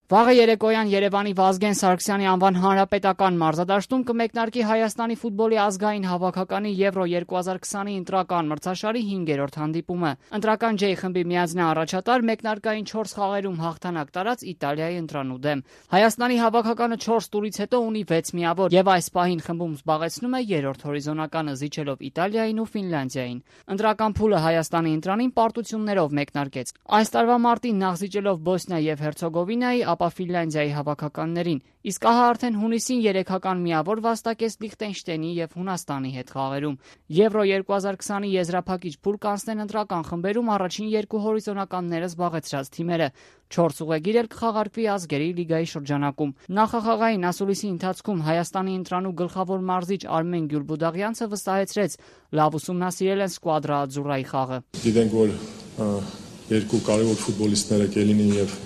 Վաղը երեկոյան Երևանի Վազգեն Սարգսյանի անվան հանրապետական մարզադաշտում կմեկնարկի Հայաստանի ֆուտբոլի ազգային հավաքականի Եվրո 2020-ի ընտրական մրցաշարի 5-րդ հանդիպումը։ Ընտրական J խմբի միանձնյա առաջատար մեկնարկային 4 խաղերում հաղթանակ տարած Իտալիայի ընտրանու դեմ։ Հայաստանի հավաքականը 4 տուրից հետո ունի 6 միավոր եւ այս պահին խմբում զբաղեցնում է 3-րդ հորիզոնականը, զիջելով Իտալիային ու Ֆինլանդիային։ Ընտրական փուլը Հայաստանի ընտրանին պարտություններով մեկնարկեց։ Այս տարվա մարտին նախզիջելով Բոսնիա եւ Հերցեգովինայի, ապա Ֆինլանդիայի հավաքականներին, իսկ ահա արդեն հունիսին 3-ական միավոր վաստակեց Լիխտենշտեյնի եւ Հունաստանի հետ խաղերում։ Եվրո 2020-ի եզրափակիչ փուլ կանցնեն ընտրական խմբերում առաջին 2 հորիզոնականները զբաղեցրած թիմերը։ 4 ուղեգիր էլ կխաղարկվի ազգերի լիգայի շրջանակում։ Նախախաղային ասուլիսի ընթացքում Հայաստանի ընտրանու գլխավոր մարզիչ Արմեն Գյուլբուդաղյանցը վստահեցրեց, լավ ուսումնասիրել են Սկուադրա Adzurrայի խաղը։ Գիտենք, որ երկու կարևոր ֆուտբոլիստները Կելինին եւ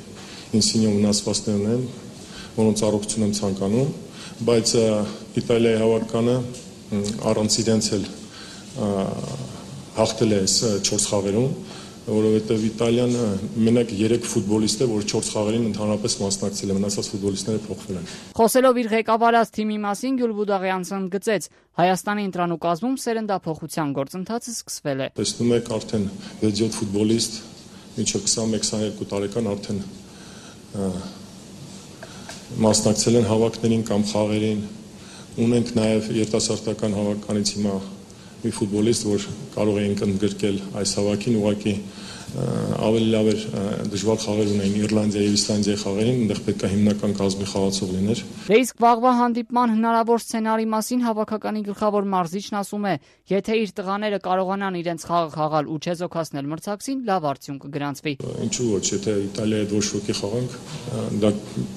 Ինսինյո վնասվածքներն են, որոնց առողջություն եմ ցանկանում, բայց Իտալիայի հավաքականը առանց իրենց էլ հաղթել է այս 4 խաղերում, որովհետև Իտալիան մենակ 3 ֆուտբոլիստ է, որ 4 խաղերին ընդհանրապես մասնակցել է, մնացած ֆուտբոլիստները փոխվել են։ Խոսելով իր ղեկավարած թիմի մասին Գյուլբուդաղյանցն ընդգծեց, Հայաստանի ընտրանու կազմում սերնդափոխության գործընթացը սկսվել է։ Տեսնում եք, արդեն 6-7 ֆուտբոլիստ, մինչև 21-22 տարեկան արդեն մասնակցել են հավաքներին կամ խաղերին։ Ունենք նաև երիտասարդական հավաքականից հիմա մի ֆուտբոլիստ, որ կարող էինք ընդգրկել այս հավաքին, ուղղակի ավելի լավ էր դժվար խաղեր ունեին Իռլանդիայի եւ Իսլանդիայի խաղերին, այնտեղ պետք է հիմնական կազմի խաղացող լիներ։ Դե իսկ վաղվա հանդիպման հնարավոր սցենարի մասին հավաքականի գլխավոր մարզիչն ասում է, եթե իր տղաները կարողանան իրենց խաղը խաղալ ու չեզոքացնել մրցակցին, լավ արդյունք կգրանցվի։ Ինչու ոչ, եթե Իտալիայի հետ ոչ ոքի խաղանք, դա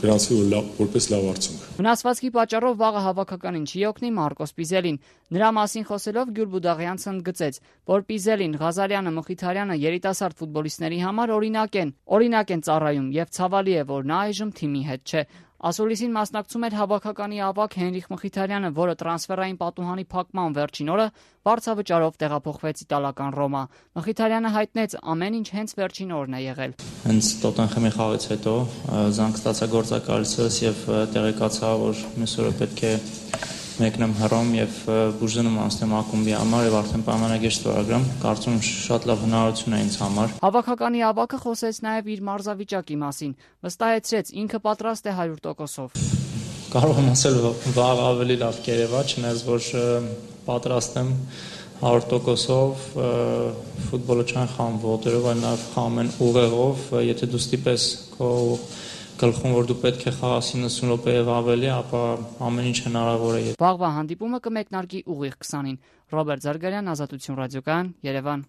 գրանցվի որպես լավ արդյունք։ Վնասվածքի պատճառով վաղը հավաքականին չի օգնի Մարկոս Պիզելին։ Նրա մասին խոսելով Գյուլբուդաղյանցը ընդգծեց, որ Պիզելին, Ղազարյանը, Մխիթարյանը երիտասարդ ֆուտբոլիստների համար օրինակ են ծառայում եւ ցավալի է, որ նա այժմ թիմի հետ չէ։ Ասուլիսին մասնակցում էր հավաքականի ավագ Հենրիխ Մխիթարյանը, որը տրանսֆերային պատուհանի փակման վերջին օրը վարձավճարով տեղափոխվեց իտալական Ռոմա։ Մխիթարյանը հայտնեց, ամեն ինչ հենց վերջին օրն է եղել։ Հենց Տոտենհեմի խաղից հետո զանգ ստացա գործակալցս եւ տեղեկացա, որ մյուս օրը պետք է մեկնեմ Հռոմ եւ բուժում անցնեմ ակումբի համար եւ արդեն պայմանագիր ստորագրեմ, կարծում շատ լավ հնարավորություն է ինձ համար։ Հավաքականի ավագը խոսեց նաեւ իր մարզավիճակի մասին, վստահեցրեց ինքը պատրաստ է 100%-ով։ Կարող եմ ասել, վաղ ավելի լավ կերևա, չնայած որ պատրաստ եմ 100%-ով, ֆուտբոլը չեն խաղում ոտերով, այլ նաեւ խաղում են ուղեղով, եթե դու ստիպես քո գլխում, որ դու պետք է խաղաս 90 րոպե եւ ավելի, ապա ամեն ինչ հնարավոր է։ Վաղվա հանդիպումը կմեկնարկի ուղիղ 20-ին։ Ռոբերտ Զարգարյան, Ազատություն ռադիոկայան, Երևան։